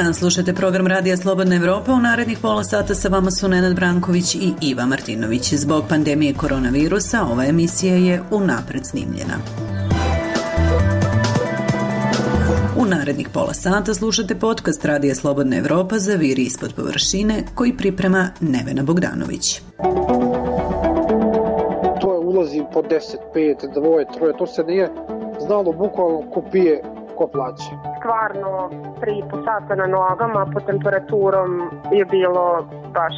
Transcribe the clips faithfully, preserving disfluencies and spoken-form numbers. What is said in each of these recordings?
dan, slušate program Radija Slobodna Evropa. U narednih pola sata sa vama su Nenad Branković i Iva Martinović. Zbog pandemije koronavirusa ova emisija je unapred snimljena. U narednih pola sata slušate podcast Radija Slobodna Evropa Zaviri ispod površine koji priprema Nevena Bogdanović. To je ulazi po deset, pet, dvoje, troje, to se nije znalo bukvalno ko pije, ko plaće. Stvarno tri i po sata na nogama pod temperaturom je bilo baš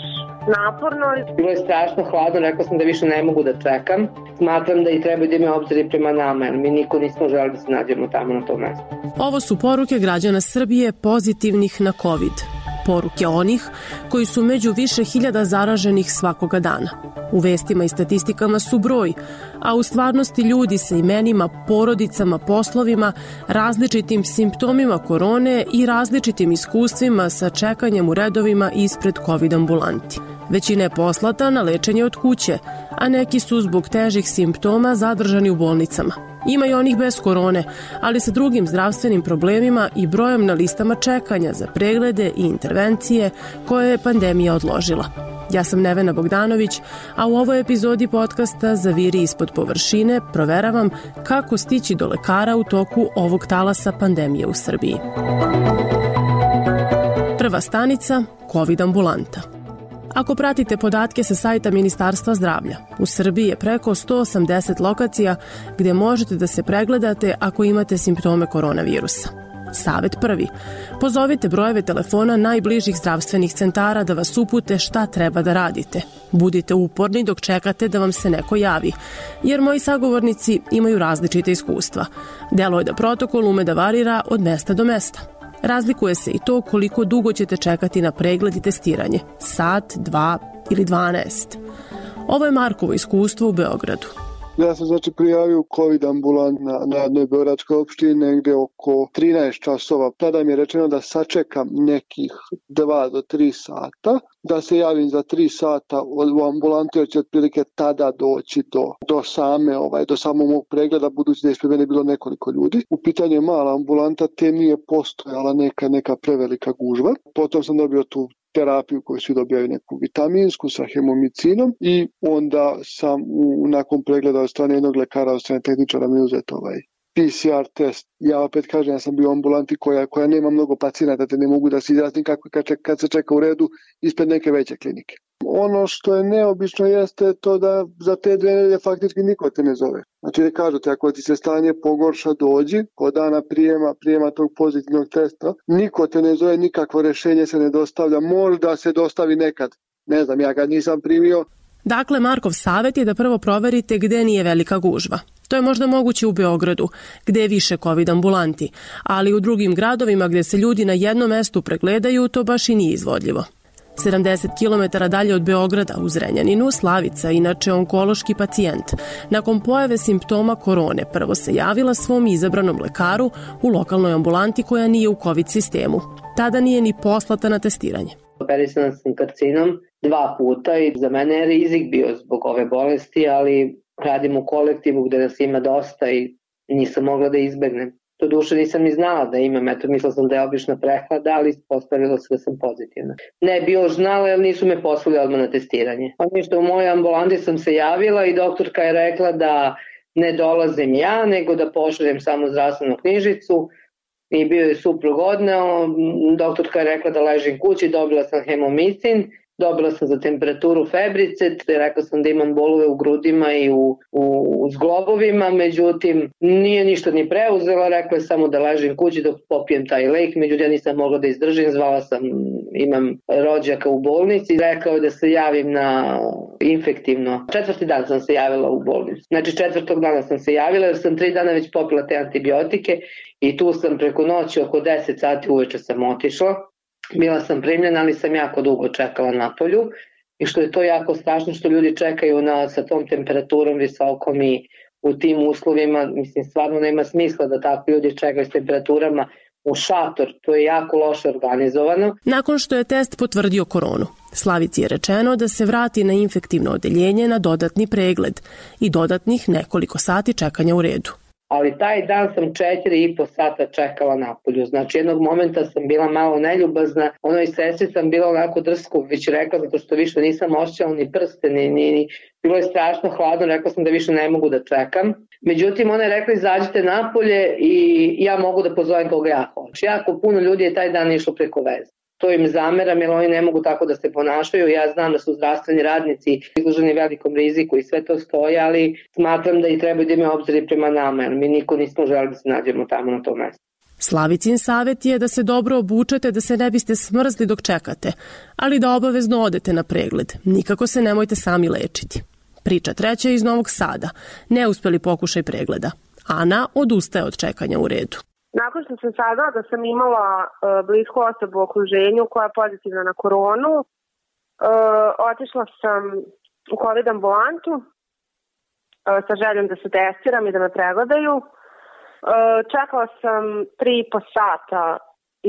naporno. Bilo je strašno hladno, rekao sam da više ne mogu da čekam. Smatram da i treba da ima obzir prema nama, jer mi niko nismo želeli da se nađemo tamo na tom mestu. Ovo su poruke građana Srbije pozitivnih na COVID. Poruke onih koji su među više hiljada zaraženih svakoga dana. U vestima i statistikama su broj, a u stvarnosti ljudi sa imenima, porodicama, poslovima, različitim simptomima korone i različitim iskustvima sa čekanjem u redovima ispred COVID ambulanti. Većina je poslata na lečenje od kuće, a neki su zbog težih simptoma zadržani u bolnicama. Ima i onih bez korone, ali sa drugim zdravstvenim problemima i brojem na listama čekanja za preglede i intervencije koje je pandemija odložila. Ja sam Nevena Bogdanović, a u ovoj epizodi podcasta Zaviri ispod površine proveravam kako stići do lekara u toku ovog talasa pandemije u Srbiji. Prva stanica – COVID ambulanta. Ako pratite podatke sa sajta Ministarstva zdravlja, u Srbiji je preko sto osamdeset lokacija gdje možete da se pregledate ako imate simptome koronavirusa. Savet prvi. Pozovite brojeve telefona najbližih zdravstvenih centara da vas upute šta treba da radite. Budite uporni dok čekate da vam se neko javi, jer moji sagovornici imaju različite iskustva. Delo je da protokol ume da varira od mesta do mesta. Razlikuje se i to koliko dugo ćete čekati na pregled i testiranje. Sat, dva ili dvanaest. Ovo je Markovo iskustvo u Beogradu. Ja sam znači prijavio COVID ambulant na, na jednoj beogradskoj opštini negde oko trinaest časova. Tada mi je rečeno da sačekam nekih dva do tri sata, da se javim za tri sata u ambulantu jer će otprilike tada doći do, do same, ovaj, do samog mog pregleda, budući da je ispred mene bilo nekoliko ljudi. U pitanju je mala ambulanta, te nije postojala neka, neka prevelika gužva. Potom sam dobio tu terapiju koju svi dobijaju, neku vitaminsku sa hemomicinom, i onda sam u, nakon pregleda od strane jednog lekara, od strane tehničara mi uzet ovaj P C R test. Ja opet kažem, ja sam bio u ambulanti koja, koja nema mnogo pacijenata, te ne mogu da se izjasnim kako kad, kad se čeka u redu ispred neke veće klinike. Ono što je neobično jeste to da za te dve nedelje faktički niko te ne zove. Znači da kažu te, ako ti se stanje pogorša, dođi kod dana prijema, prijema tog pozitivnog testa, niko te ne zove, nikakvo rešenje se ne dostavlja, možda se dostavi nekad. Ne znam, ja kad nisam primio. Dakle, Markov savjet je da prvo proverite gde nije velika gužva. To je možda moguće u Beogradu, gde je više COVID ambulanti, ali u drugim gradovima gde se ljudi na jednom mestu pregledaju, to baš i nije izvodljivo. sedamdeset kilometara dalje od Beograda, u Zrenjaninu, Slavica, inače onkološki pacijent, nakon pojave simptoma korone prvo se javila svom izabranom lekaru u lokalnoj ambulanti koja nije u COVID sistemu. Tada nije ni poslata na testiranje. Operisana sam karcinom dva puta i za mene je rizik bio zbog ove bolesti, ali radim u kolektivu gde nas ima dosta i nisam mogla da izbegnem. To duše nisam ni znala da imam, eto mislila sam da je obična prehlada, ali postavilo se da sam pozitivna. Ne bi još znala jer nisu me poslali odmah na testiranje. Ono što u mojoj ambulanti sam se javila i doktorka je rekla da ne dolazim ja, nego da pošaljem samo zdravstvenu knjižicu i bio je suprug odneo. Doktorka je rekla da ležim kući, dobila sam hemomicin, dobila sam za temperaturu febrice, rekla sam da imam bolove u grudima i u, u, u zglobovima, međutim nije ništa ni preuzela, rekla je samo da ležim kući dok popijem taj lek, međutim ja nisam mogla da izdržim, zvala sam, imam rođaka u bolnici, rekao je da se javim na infektivno. Četvrti dan sam se javila u bolnicu, znači četvrtog dana sam se javila jer sam tri dana već popila te antibiotike i tu sam preko noći oko deset sati uveče sam otišla. Bila sam primljena, ali sam jako dugo čekala na polju i što je to jako strašno što ljudi čekaju na, sa tom temperaturom visokom i u tim uslovima, mislim stvarno nema smisla da tako ljudi čekaju s temperaturama u šator, to je jako loše organizovano. Nakon što je test potvrdio koronu, Slavici je rečeno da se vrati na infektivno odeljenje na dodatni pregled i dodatnih nekoliko sati čekanja u redu. ali taj dan sam četiri i po sata čekala napolju. Znači jednog momenta sam bila malo neljubazna, onoj sestri sam bila onako drsko već rekla, zato što više nisam osjećala ni prste, ni, ni, ni, bilo je strašno hladno, rekla sam da više ne mogu da čekam. Međutim, ona je rekla izađite napolje i ja mogu da pozovem koga ja hoću. Jako puno ljudi je taj dan išlo preko veze. To im zameram jer oni ne mogu tako da se ponašaju. Ja znam da su zdravstveni radnici izloženi velikom riziku i sve to stoje, ali smatram da i treba da imaju obzir prema nama, jer mi niko nismo želeli da se nađemo tamo na tom mestu. Slavicin savjet je da se dobro obučete da se ne biste smrzli dok čekate, ali da obavezno odete na pregled. Nikako se nemojte sami lečiti. Priča treća iz Novog Sada. Neuspeli pokušaj pregleda. Ana odustaje od čekanja u redu. Nakon što sam saznala da sam imala uh, blisku osobu u okruženju koja je pozitivna na koronu, uh, otišla sam u COVID ambulantu uh, sa željom da se testiram i da me pregledaju. Uh, čekala sam tri i po sata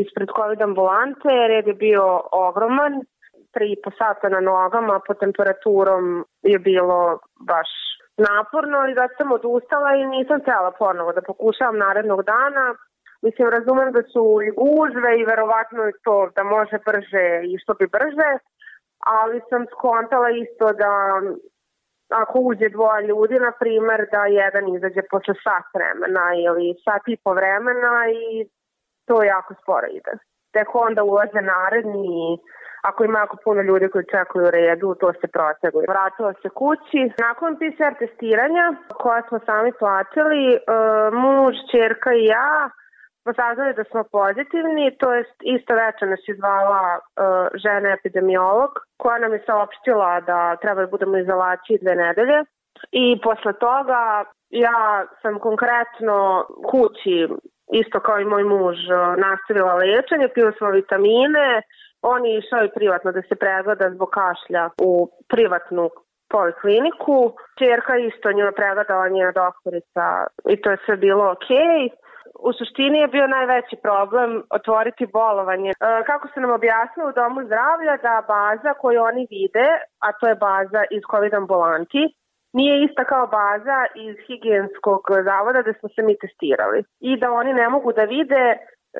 ispred COVID ambulante, red je bio ogroman, tri i po sata na nogama, pod temperaturom je bilo baš naporno i da sam odustala i nisam htjela ponovo da pokušavam narednog dana. Mislim, razumem da su i gužve i verovatno je to da može brže i što bi brže, ali sam skontala isto da ako uđe dvoje ljudi, na primer, da jedan izađe posle sat vremena ili sat i po vremena i to jako sporo ide. Tek onda ulaze naredni i ako ima jako puno ljudi koji čekaju u redu, to se proteguje. Vratila se kući. Nakon P C R testiranja, koja smo sami platili, muž, ćerka i ja saznali da smo pozitivni, to je isto večer nas je zvala uh, žena epidemiolog koja nam je saopštila da treba da budemo u izolaciji dve nedelje i posle toga ja sam konkretno kući, isto kao i moj muž, nastavila lečenje, pila smo vitamine, on je išao i privatno da se pregleda zbog kašlja u privatnu polikliniku. Čerka isto njima pregledala njena doktorica i to je sve bilo okej. U suštini je bio najveći problem otvoriti bolovanje. E, kako se nam objasnilo u Domu zdravlja da baza koju oni vide, a to je baza iz COVID ambulanti, nije ista kao baza iz higijenskog zavoda gde smo se mi testirali. I da oni ne mogu da vide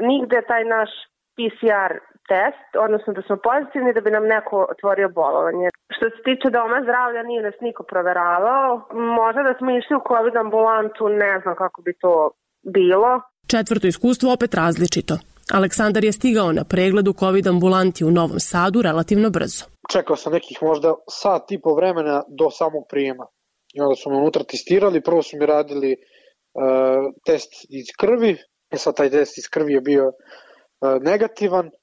nigde taj naš P C R test, odnosno da smo pozitivni da bi nam neko otvorio bolovanje. Što se tiče Doma zdravlja, nije nas niko proveravao. Možda da smo išli u COVID ambulantu, ne znam kako bi to bilo. Četvrto iskustvo opet različito. Aleksandar je stigao na pregled u COVID ambulanti u Novom Sadu relativno brzo. Čekao sam nekih možda sat i po vremena do samog prijema. I onda su me unutra testirali, prvo su mi radili uh, test iz krvi, e sad taj test iz krvi je bio uh, negativan. Uh,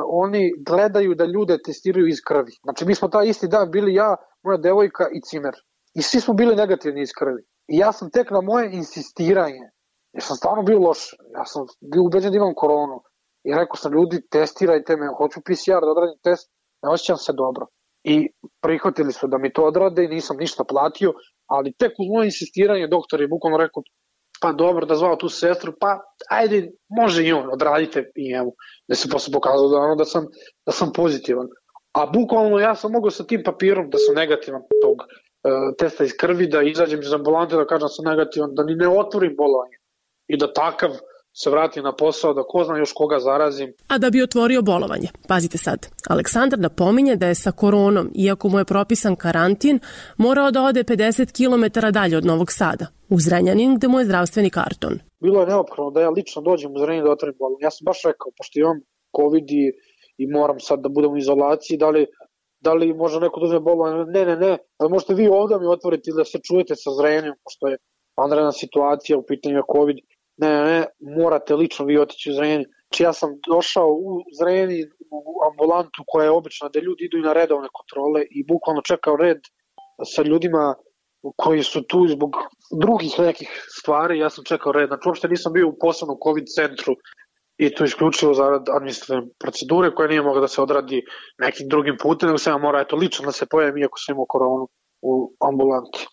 oni gledaju da ljude testiraju iz krvi. Znači mi smo taj isti dan bili ja, moja devojka i cimer. I svi smo bili negativni iz krvi. I ja sam tek na moje insistiranje, jer sam stvarno bio loš, ja sam bio ubeđen da imam koronu. I rekao sam ljudi, testirajte me, hoću P C R da odradim test, ne osjećam se dobro. I prihvatili su da mi to odrade i nisam ništa platio, ali tek uz moje insistiranje doktor je bukvalno rekao, pa dobro da zvao tu sestru, pa ajde, može i on, odradite i evo, da se posle pokazalo da, ono, da, sam, da sam pozitivan. A bukvalno ja sam mogao sa tim papirom da sam negativan tog uh, testa iz krvi, da izađem iz ambulante, da kažem da sam negativan, da ni ne otvorim bolovanje i da takav se vratim na posao, da ko zna još koga zarazim. A da bi otvorio bolovanje, pazite sad, Aleksandar napominje da je sa koronom, iako mu je propisan karantin, morao da ode pedeset kilometara dalje od Novog Sada, u Zrenjanin gde mu je zdravstveni karton. Bilo je neophodno da ja lično dođem u Zrenjanin da otvorim bolovanje. Ja sam baš rekao, pošto imam COVID i, i moram sad da budem u izolaciji, da li, da li može neko da uzme bolovanje? Ne, ne, ne, ali možete vi ovdje mi otvoriti da se čujete sa Zrenjaninom, pošto je vanredna situacija u pitanju COVID. Ne, ne, ne, morate lično vi otići u Zrenjanin. Znači ja sam došao u Zrenjanin u ambulantu koja je obična, gde ljudi idu i na redovne kontrole i bukvalno čekao red sa ljudima koji su tu zbog drugih nekih stvari. Ja sam čekao red, znači uopšte nisam bio u posebnom COVID centru i to isključivo za administrativne procedure koje nije mogla da se odradi nekim drugim putem, nego sam ja mora eto lično da se pojavim iako sam imao koronu u ambulanti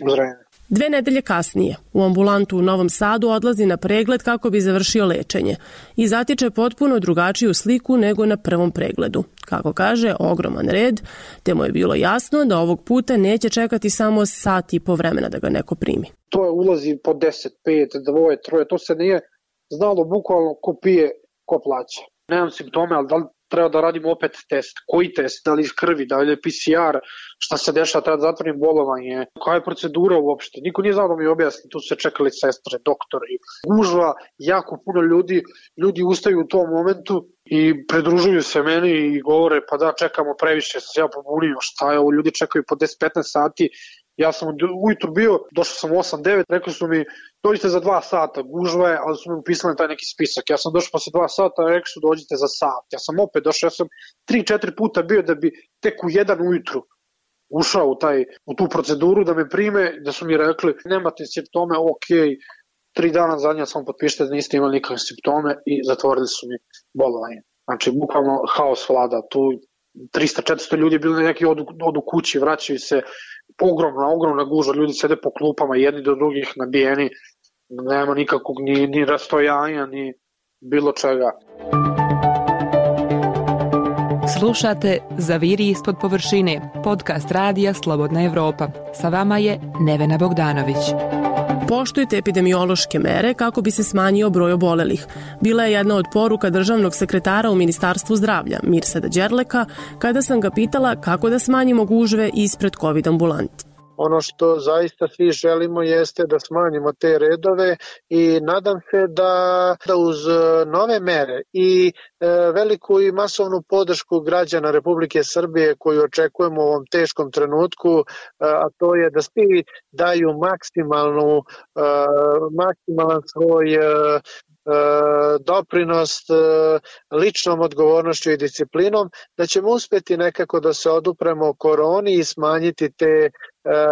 u Zrenjaninu. Dve nedelje kasnije u ambulantu u Novom Sadu odlazi na pregled kako bi završio lečenje i zatiče potpuno drugačiju sliku nego na prvom pregledu. Kako kaže, ogroman red, te mu je bilo jasno da ovog puta neće čekati samo sat i po vremena da ga neko primi. To je ulazi po deset, pet, dvoje, troje, to se nije znalo bukvalno ko pije, ko plaća. Nemam simptome, ali da li treba da radimo opet test? Koji test? Da li iz krvi, da li je P C R? Šta se dešava? Treba da zatvorim bolovanje? Koja je procedura uopšte? Niko nije znao da mi objasni. Tu su se čekali sestre, doktori. Gužva, jako puno ljudi. Ljudi ustaju u tom momentu i pridružuju se meni i govore pa da, čekamo previše, sam se ja pobunio. Šta je ovo? Ljudi čekaju po deset do petnaest sati. Ja sam ujutru bio, došao sam u osam devet, rekli su mi dođite za dva sata, gužva je, ali su mi upisali taj neki spisak. Ja sam došao posle dva sata, rekli su dođite za sat. Ja sam opet došao, ja sam tri četiri puta bio da bi tek u jedan ujutru ušao u, taj, u tu proceduru da me prime, da su mi rekli nemate simptome, ok, tri dana zadnja sam potpišite da niste imali nikakve simptome i zatvorili su mi bolovanje. Znači, bukvalno haos vlada, tu trista četiristo ljudi bili neki odu, odu kući, vraćaju se, ogromna, ogromna gužva, ljudi sede po klupama jedni do drugih nabijeni, nema nikakvog ni, ni rastojanja, ni bilo čega. Slušate Zaviri ispod površine, podcast radija Slobodna Evropa. Sa vama je Nevena Bogdanović. Poštujte epidemiološke mere kako bi se smanjio broj obolelih. Bila je jedna od poruka državnog sekretara u Ministarstvu zdravlja, Mirsada Đerleka, kada sam ga pitala kako da smanjimo gužve ispred COVID ambulanti. Ono što zaista svi želimo jeste da smanjimo te redove i nadam se da, da uz nove mere i e, veliku i masovnu podršku građana Republike Srbije koju očekujemo u ovom teškom trenutku, a to je da svi daju maksimalnu, e, maksimalan svoj e, doprinos ličnom odgovornošću i disciplinom, da ćemo uspeti nekako da se odupremo koroni i smanjiti te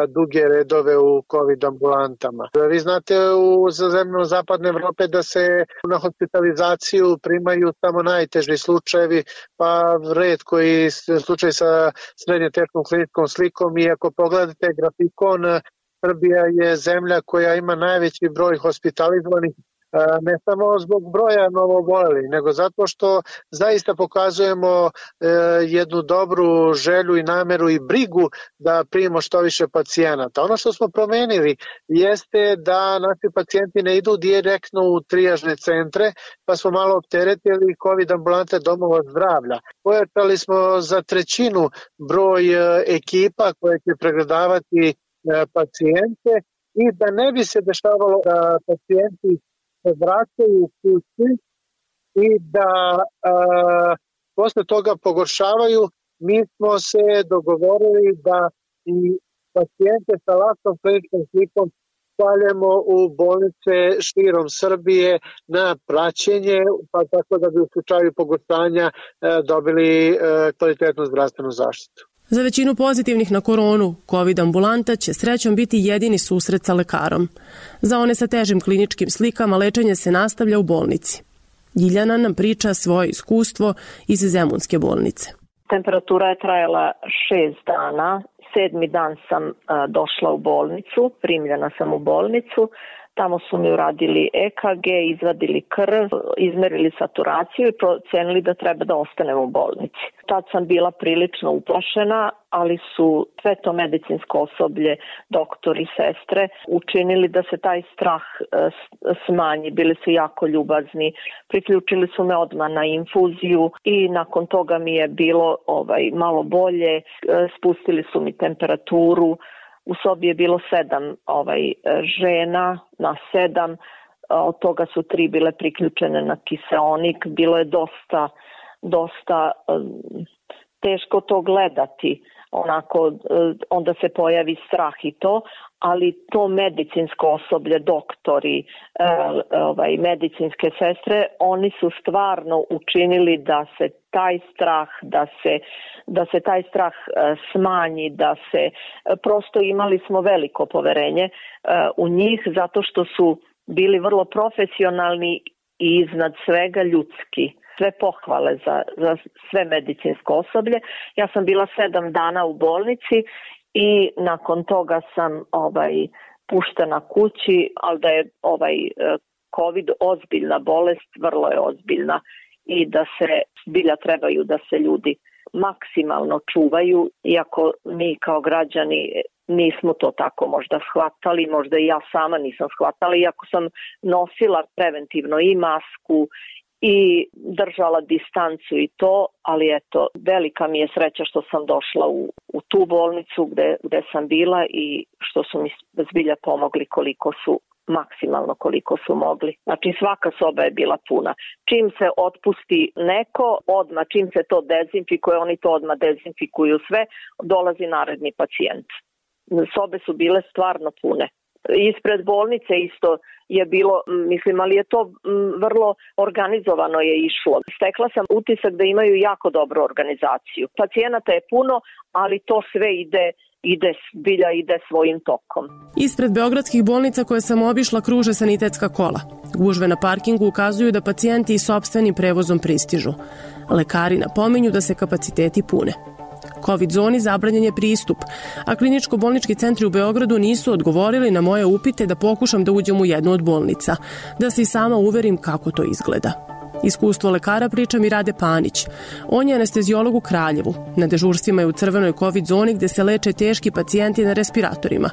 duge redove u COVID ambulantama. Vi znate u zemljama zapadne Evrope da se na hospitalizaciju primaju samo najteži slučajevi, pa retko i slučaj sa srednje teškom kliničkom slikom i ako pogledate grafikon, Srbija je zemlja koja ima najveći broj hospitalizovanih, ne samo zbog broja novoobolelih, nego zato što zaista pokazujemo jednu dobru želju i nameru i brigu da primimo što više pacijenata. Ono što smo promenili jeste da naši pacijenti ne idu direktno u trijažne centre, pa smo malo opteretili COVID ambulante domova zdravlja. Pojačali smo za trećinu broj ekipa koje će pregledavati pacijente i da ne bi se dešavalo da pacijenti se vraćaju u kući i da a, posle toga pogoršavaju, mi smo se dogovorili da i pacijente sa lastnom kliničkom slikom šaljemo u bolnice širom Srbije na praćenje, pa tako da bi u slučaju pogoršanja dobili kvalitetnu zdravstvenu zaštitu. Za većinu pozitivnih na koronu, COVID ambulanta će srećom biti jedini susret sa lekarom. Za one sa težim kliničkim slikama lečenje se nastavlja u bolnici. Ljiljana nam priča svoje iskustvo iz Zemunske bolnice. Temperatura je trajala šest dana. Sedmi dan sam a, došla u bolnicu, primljena sam u bolnicu. Tamo su mi uradili E K G, izvadili krv, izmerili saturaciju i procenili da treba da ostanem u bolnici. Tad sam bila prilično uplašena, ali su sve to medicinsko osoblje, doktori, sestre, učinili da se taj strah smanji. Bili su jako ljubazni, priključili su me odmah na infuziju i nakon toga mi je bilo ovaj, malo bolje, spustili su mi temperaturu. U sobi je bilo sedam ovaj, žena, na sedam, od toga su tri bile priključene na kiseonik. Bilo je dosta, dosta um, teško to gledati, onako, onda se pojavi strah i to, ali to medicinsko osoblje, doktori, ovaj, medicinske sestre, oni su stvarno učinili da se taj strah, da se, da se taj strah smanji, da se, prosto imali smo veliko poverenje u njih zato što su bili vrlo profesionalni i iznad svega ljudski. Sve pohvale za, za sve medicinsko osoblje. Ja sam bila sedam dana u bolnici i nakon toga sam ovaj, puštena kući, ali da je ovaj COVID ozbiljna bolest, vrlo je ozbiljna i da se zbilja trebaju da se ljudi maksimalno čuvaju, iako mi kao građani nismo to tako možda shvatali, možda i ja sama nisam shvatala, iako sam nosila preventivno i masku i držala distancu i to, ali eto, velika mi je sreća što sam došla u, u tu bolnicu gde, gde sam bila i što su mi zbilja pomogli koliko su maksimalno koliko su mogli. Znači svaka soba je bila puna. Čim se otpusti neko, odmah, čim se to dezinfikuje, oni to odmah dezinfikuju sve, dolazi naredni pacijent. Sobe su bile stvarno pune. Ispred bolnice isto je bilo, mislim, ali je to vrlo organizovano je išlo. Stekla sam utisak da imaju jako dobru organizaciju. Pacijenata je puno, ali to sve ide ide bilja ide svojim tokom. Ispred beogradskih bolnica koje sam obišla kruže sanitetska kola. Gužve na parkingu ukazuju da pacijenti i sopstvenim prevozom pristižu. Lekari napominju da se kapaciteti pune. Covid zoni zabranjen je pristup, a kliničko-bolnički centri u Beogradu nisu odgovorili na moje upite da pokušam da uđem u jednu od bolnica, da se i sama uverim kako to izgleda. Iskustvo lekara priča mi Rade Panić. On je anestezijolog u Kraljevu. Na dežurstvima je u crvenoj COVID zoni gde se leče teški pacijenti na respiratorima.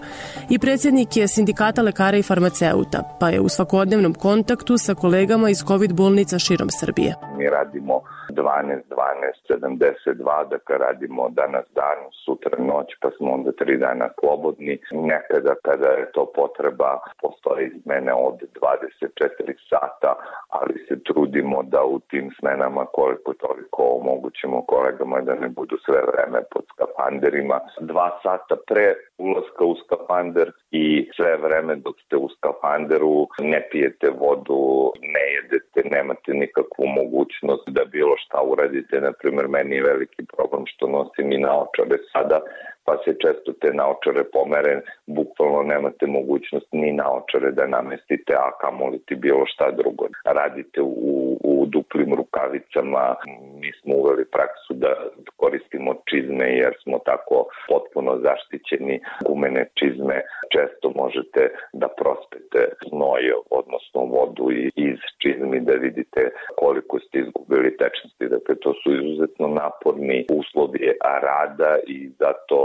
I predsjednik je sindikata lekara i farmaceuta, pa je u svakodnevnom kontaktu sa kolegama iz COVID bolnica širom Srbije. Mi radimo dvanaest dvanaest sedamdeset dva, dakle radimo danas dan, sutra noć, pa smo onda tri dana slobodni. Nekada kada je to potreba, postoji smene od dvadeset četiri sata, ali se trudimo da u tim smenama koliko toliko omogućimo kolegama da ne budu sve vreme pod skafanderima. Dva sata pre ulaska u skafander i sve vreme dok ste u skafanderu ne pijete vodu, ne jedete, nemate nikakvu mogućnost da bilo šta uradite. Naprimjer, meni je veliki problem što nosim i naočare sada, pa se često te naočare pomere, bukvalno nemate mogućnost ni naočare da namestite, a kamoli ti bilo šta drugo. Radite u, u duplim rukavicama, mi smo uveli praksu da koristimo čizme jer smo tako potpuno zaštićeni. Gumene čizme često možete da prospete znoj, odnosno vodu iz čizmi da vidite koliko ste izgubili tečnosti. Dakle, to su izuzetno naporni uslovi rada i zato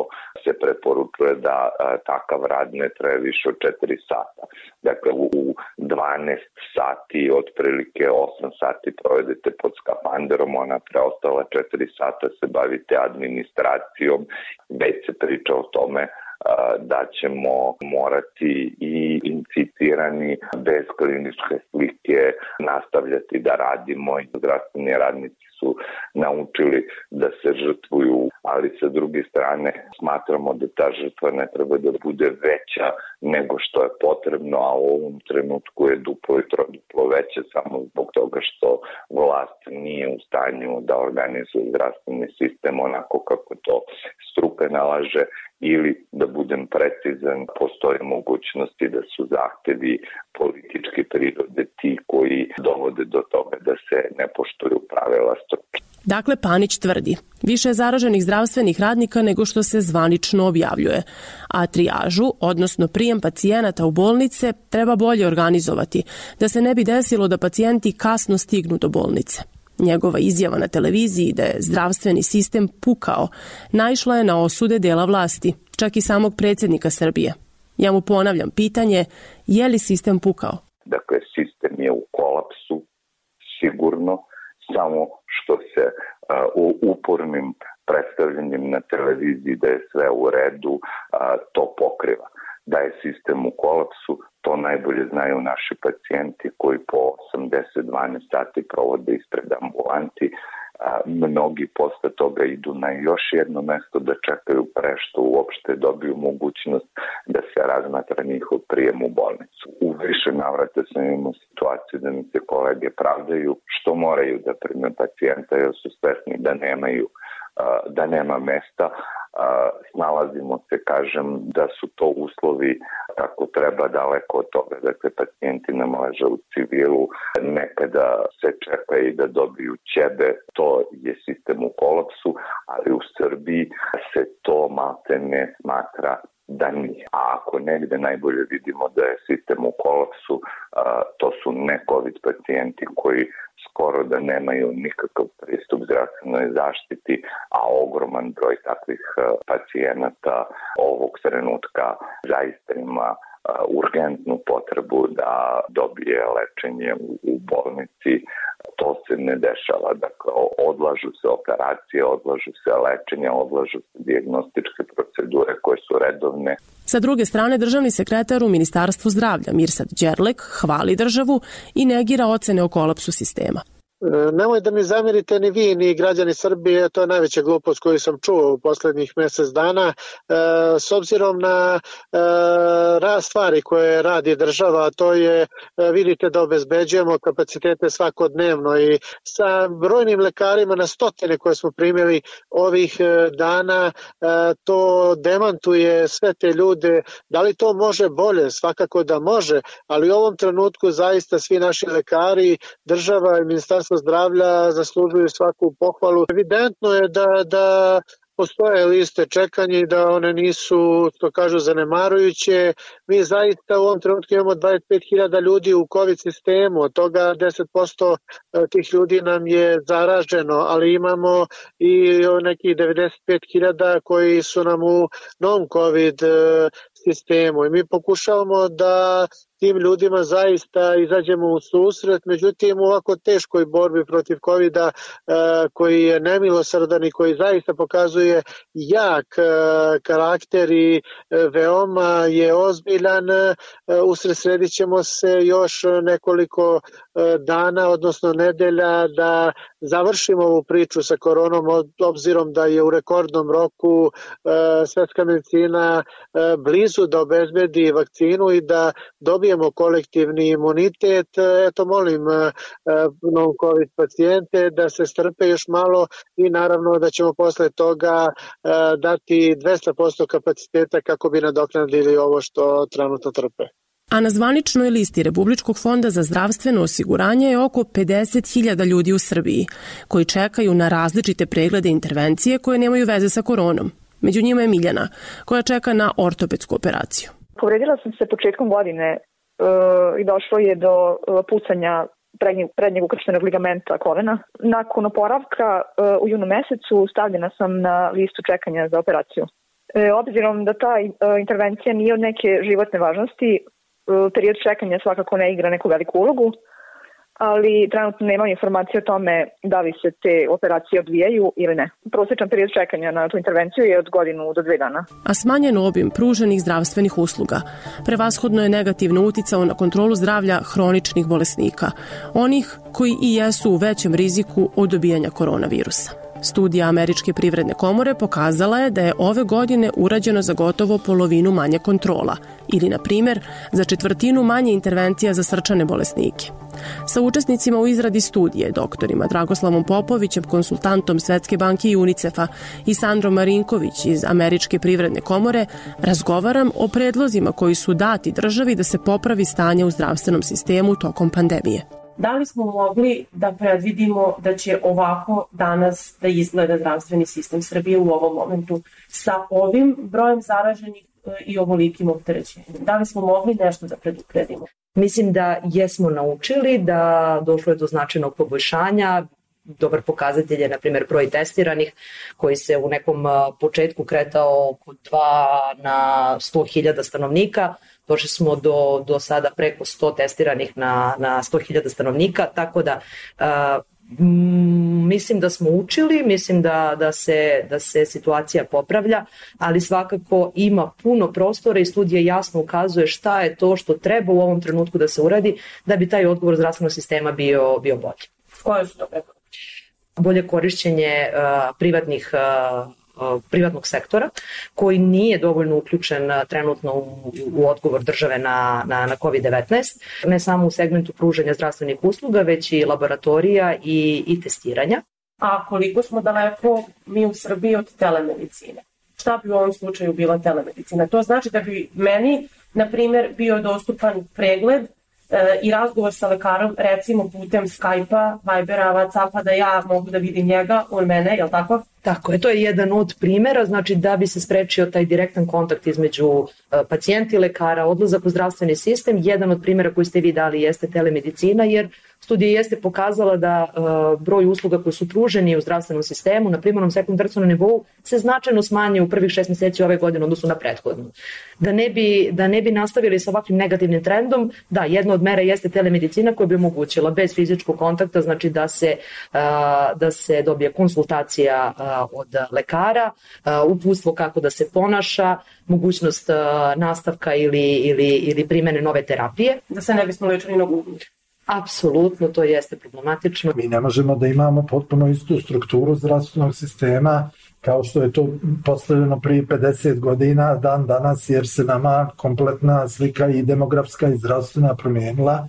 se preporučuje da a, takav rad ne traje više od četiri sata. Dakle, u, u dvanaest sati, otprilike osam sati provedete pod skafanderom, ona preostala četiri sata se bavite administracijom, već se priča o tome da ćemo morati i inficirani bez kliničke slike nastavljati da radimo i zdravstveni radnici su naučili da se žrtvuju, ali sa druge strane smatramo da ta žrtva ne treba da bude veća nego što je potrebno, a u ovom trenutku je duplo i troduplo veće samo zbog toga što vlast nije u stanju da organizuje zdravstveni sistem onako kako to struka nalaže, ili da budem precizan, postoje mogućnosti da su zahtevi političke prirode ti koji dovode do toga da se ne poštuju pravila struke. Dakle, Panić tvrdi, više je zaraženih zdravstvenih radnika nego što se zvanično objavljuje, a trijažu, odnosno prijem pacijenata u bolnice, treba bolje organizovati, da se ne bi desilo da pacijenti kasno stignu do bolnice. Njegova izjava na televiziji da je zdravstveni sistem pukao naišla je na osude dela vlasti, čak i samog predsjednika Srbije. Ja mu ponavljam pitanje, je li sistem pukao? Dakle, sistem je u kolapsu, sigurno, samo što se uh, upornim predstavljanjem na televiziji da je sve u redu, uh, to pokriva. Da je sistem u kolapsu, to najbolje znaju naši pacijenti koji po osam deset dvanaest sati provode ispred ambulanti. A, mnogi posle toga idu na još jedno mesto da čekaju pre što uopšte dobiju mogućnost da se razmatra njihov prijem u bolnicu. U više navrata sam imao situaciju da mi se kolege pravdaju što moraju da prime pacijenta jer su svesni da nemaju, a, da nema mesta. Snalazimo se, kažem, da su to uslovi kako treba daleko od toga. Dakle, pacijenti nam leže u civilu, nekada se čeka i da dobiju ćebe, to je sistem u kolapsu, ali u Srbiji se to malte ne smatra da nije. A ako negde najbolje vidimo da je sistem u kolapsu, to su ne-COVID pacijenti koji skoro da nemaju nikakav pristup zdravstvenoj zaštiti, a ogroman broj takvih pacijenata ovog trenutka zaista ima urgentnu potrebu da dobije lečenje u bolnici. To se ne dešava. Dakle, odlažu se operacije, odlažu se lečenja, odlažu se dijagnostičke procedure koje su redovne. Sa druge strane, državni sekretar u Ministarstvu zdravlja Mirsad Đerlek hvali državu i negira ocene o kolapsu sistema. Nemoj da mi zamerite ni vi, ni građani Srbije, to je najveća glupost koju sam čuo u poslednjih mesec dana. S obzirom na rast stvari koje radi država, to je, vidite da obezbeđujemo kapacitete svakodnevno i sa brojnim lekarima na stotine koje smo primili ovih dana, to demantuje sve te ljude. Da li to može bolje? Svakako da može, ali u ovom trenutku zaista svi naši lekari, država i Ministarstvo zdravlja zaslužuju svaku pohvalu. Evidentno je da, da postoje liste čekanja i da one nisu, što kažu, zanemarujuće. Mi zaista u ovom trenutku imamo dvadeset pet hiljada ljudi u COVID sistemu, od toga deset posto tih ljudi nam je zaraženo, ali imamo i nekih devedeset pet hiljada koji su nam u novom COVID sistemu i mi pokušavamo da tim ljudima zaista izađemo u susret, međutim u ovako teškoj borbi protiv kovida koji je nemilosrdan i koji zaista pokazuje jak karakter i veoma je ozbiljan, usredsredit ćemo se još nekoliko dana, odnosno nedelja da završimo ovu priču sa koronom, obzirom da je u rekordnom roku svetska medicina blizu da obezbedi vakcinu i da dobijemo kolektivni imunitet. Eto, molim non-COVID pacijente da se strpe još malo i naravno da ćemo posle toga dati dvesta posto kapaciteta kako bi nadoknadili ovo što trenutno trpe. A na zvaničnoj listi Republičkog fonda za zdravstveno osiguranje je oko pedeset hiljada ljudi u Srbiji koji čekaju na različite preglede i intervencije koje nemaju veze sa koronom. Među njima je Miljana, koja čeka na ortopedsku operaciju. Povredila sam se početkom godine uh, i došlo je do uh, pucanja prednjeg, prednjeg ukrštenog ligamenta kolena. Nakon oporavka uh, u junu mesecu stavljena sam na listu čekanja za operaciju. E, obzirom da ta uh, intervencija nije od neke životne važnosti, uh, period čekanja svakako ne igra neku veliku ulogu, ali trenutno nema informacije o tome da li se te operacije odvijaju ili ne. Prosječan period čekanja na tu intervenciju je od godinu do dve dana. A smanjen obim pruženih zdravstvenih usluga prevashodno je negativno uticao na kontrolu zdravlja hroničnih bolesnika, onih koji i jesu u većem riziku od dobijanja koronavirusa. Studija Američke privredne komore pokazala je da je ove godine urađeno za gotovo polovinu manje kontrola ili, na primjer, za četvrtinu manje intervencija za srčane bolesnike. Sa učesnicima u izradi studije, doktorima Dragoslavom Popovićem, konsultantom Svetske banke i UNICEF-a i Sandrom Marinković iz Američke privredne komore, razgovaram o predlozima koji su dati državi da se popravi stanje u zdravstvenom sistemu tokom pandemije. Da li smo mogli da predvidimo da će ovako danas da izgleda zdravstveni sistem Srbije u ovom momentu sa ovim brojem zaraženih i ovolikim opterećenjem? Da li smo mogli nešto da predupredimo? Mislim da jesmo naučili da došlo je do značajnog poboljšanja. Dobar pokazatelj je, na primjer, broj testiranih koji se u nekom početku kretao oko dva na sto hiljada stanovnika. Došli smo do, do sada preko sto testiranih na, na sto hiljada stanovnika, tako da uh, mislim da smo učili, mislim da, da, se, da se situacija popravlja, ali svakako ima puno prostora i studija jasno ukazuje šta je to što treba u ovom trenutku da se uradi da bi taj odgovor zdravstvenog sistema bio, bio bolji. Koje su to preporuke? Bolje korišćenje uh, privatnih uh, privatnog sektora koji nije dovoljno uključen trenutno u, u odgovor države na, na, na kovid devetnaest, ne samo u segmentu pružanja zdravstvenih usluga, već i laboratorija i, i testiranja. A koliko smo daleko mi u Srbiji od telemedicine? Šta bi u ovom slučaju bila telemedicina? To znači da bi meni, na primjer, bio dostupan pregled e, i razgovor sa lekarom, recimo putem Skype-a, Vibera, WhatsApp-a, da ja mogu da vidim njega, on mene, je li tako? Tako je, to je jedan od primjera, znači da bi se sprečio taj direktan kontakt između pacijenta i lekara, odlazak u zdravstveni sistem. Jedan od primjera koji ste vi dali jeste telemedicina, jer studija jeste pokazala da uh, broj usluga koji su pruženi u zdravstvenom sistemu na primarnom sekundarnom nivou se značajno smanjio u prvih šest mjeseci ove godine odnosno na prethodnu. Da ne bi, da ne bi nastavili sa ovakvim negativnim trendom, da, jedna od mera jeste telemedicina koja bi omogućila bez fizičkog kontakta, znači da se, uh, da se dobije konsultacija uh, od lekara, uh, uputstvo kako da se ponaša, mogućnost uh, nastavka ili, ili, ili primjene nove terapije. Da se ne bismo lečili na Google. Apsolutno, to jeste problematično. Mi ne možemo da imamo potpuno istu strukturu zdravstvenog sistema kao što je to postavljeno prije pedeset godina dan danas, jer se nama kompletna slika i demografska i zdravstvena promijenila.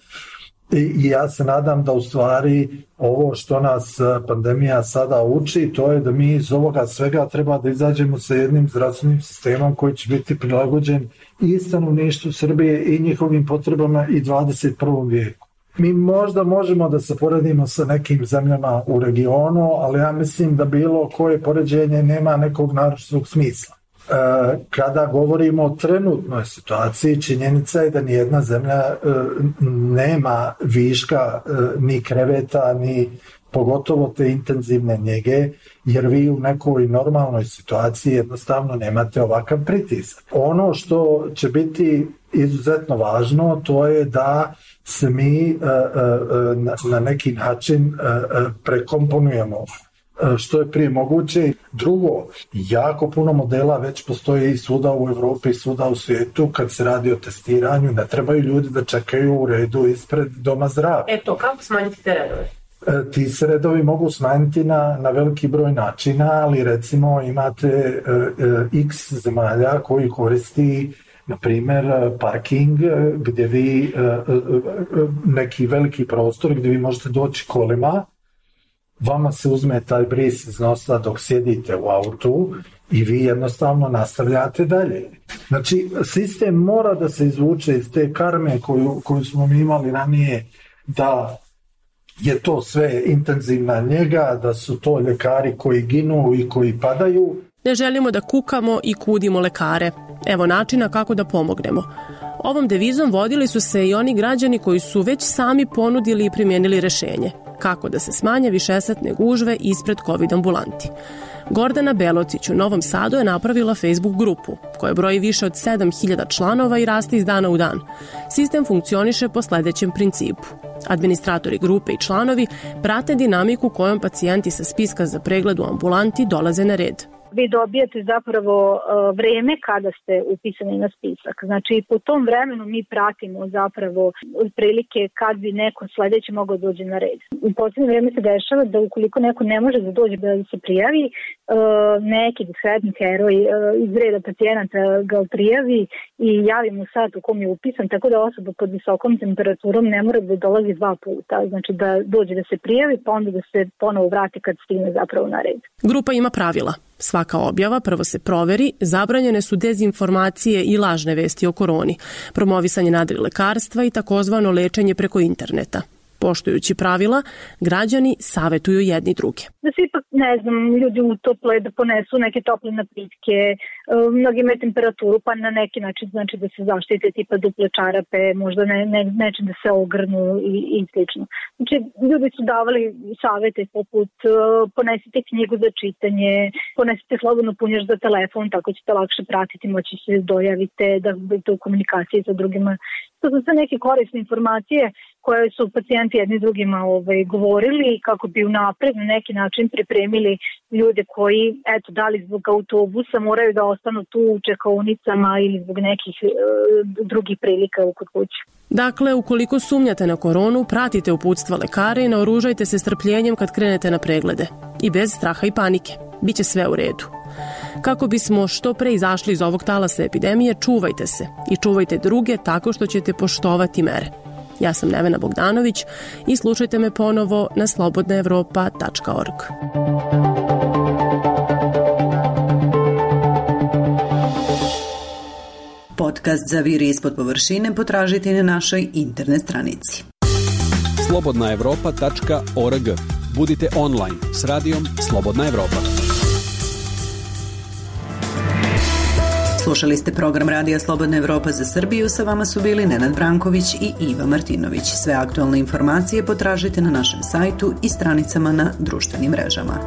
I ja se nadam da u stvari ovo što nas pandemija sada uči, to je da mi iz ovoga svega treba da izađemo sa jednim zdravstvenim sistemom koji će biti prilagođen i stanovništvu Srbije i njihovim potrebama i dvadeset prvom vijeku. Mi možda možemo da se poredimo sa nekim zemljama u regionu, ali ja mislim da bilo koje poređenje nema nekog naročitog smisla. E, kada govorimo o trenutnoj situaciji, činjenica je da nijedna zemlja e, nema viška e, ni kreveta, ni pogotovo te intenzivne njege, jer vi u nekoj normalnoj situaciji jednostavno nemate ovakav pritisak. Ono što će biti izuzetno važno, to je da se mi uh, uh, na, na neki način uh, prekomponujemo uh, što je prije moguće. Drugo, jako puno modela već postoje i svuda u Evropi i svuda u svijetu kad se radi o testiranju. Ne trebaju ljudi da čekaju u redu ispred doma zdravlja. Eto, kako smanjiti te redove? Ti se redovi mogu smanjiti na, na veliki broj načina, ali recimo imate uh, uh, x zemalja koji koristi na primjer parking gdje vi neki veliki prostor gdje vi možete doći kolima, vama se uzme taj bris iz nosa dok sjedite u autu i vi jednostavno nastavljate dalje. Znači sistem mora da se izvuče iz te karme koju, koju smo mi imali ranije, da je to sve intenzivna njega, da su to ljekari koji ginu i koji padaju. Ne želimo da kukamo i kudimo lekare. Evo načina kako da pomognemo. Ovom devizom vodili su se i oni građani koji su već sami ponudili i primijenili rešenje. Kako da se smanje višesatne gužve ispred COVID ambulanti. Gordana Belocić u Novom Sadu je napravila Facebook grupu, koja broji više od sedam hiljada članova i raste iz dana u dan. Sistem funkcioniše po sledećem principu. Administratori grupe i članovi prate dinamiku kojom pacijenti sa spiska za pregled u ambulanti dolaze na red. Vi dobijate zapravo uh, vreme kada ste upisani na spisak. Znači, po tom vremenu mi pratimo zapravo otprilike kad bi neko sledeći mogao dođe na red. U posljednje vreme se dešava da ukoliko neko ne može da dođe da se prijavi, uh, neki diskretni heroj uh, iz reda pacijenata ga prijavi i javi mu sat u kom je upisan, tako da osoba pod visokom temperaturom ne mora da dolazi dva puta. Znači, da dođe da se prijavi, pa onda da se ponovo vrati kad stigne zapravo na red. Grupa ima pravila. Svaka objava prvo se proveri, zabranjene su dezinformacije i lažne vesti o koroni, promovisanje nadrilekarstva i takozvano lečenje preko interneta. Poštujući pravila, građani savetuju jedni druge. Da se ipak, ne znam, ljudi utople, da ponesu neke tople napitke, mnogi imaju temperaturu, pa na neki način znači da se zaštite tipa duple čarape, možda ne, ne, neće da se ogrnu i, i slično. Znači, ljudi su davali savete poput ponesite knjigu za čitanje, ponesite slobodno punjač za telefon, tako ćete lakše pratiti, moći se dojavite, da budete u komunikaciji sa drugima. To su sve neke korisne informacije koje su pacijenti jedni drugima ovaj, govorili kako bi unapred na neki način pripremili ljude koji, eto, da li zbog autobusa moraju da ostanu tu u čekaonicama ili zbog nekih e, drugih prilika kod kuće. Dakle, ukoliko sumnjate na koronu, pratite uputstva lekara i naoružajte se strpljenjem kad krenete na preglede. I bez straha i panike. Biće sve u redu. Kako bismo što pre izašli iz ovog talasa epidemije, čuvajte se i čuvajte druge tako što ćete poštovati mere. Ja sam Nevena Bogdanović i slušajte me ponovo na slobodna evropa tačka org. Podcast Zaviri ispod površine potražite na našoj internet stranici. slobodna evropa tačka org. Budite online s radijom Slobodna Evropa. Slušali ste program Radija Slobodna Evropa za Srbiju, sa vama su bili Nenad Branković i Iva Martinović. Sve aktualne informacije potražite na našem sajtu i stranicama na društvenim mrežama.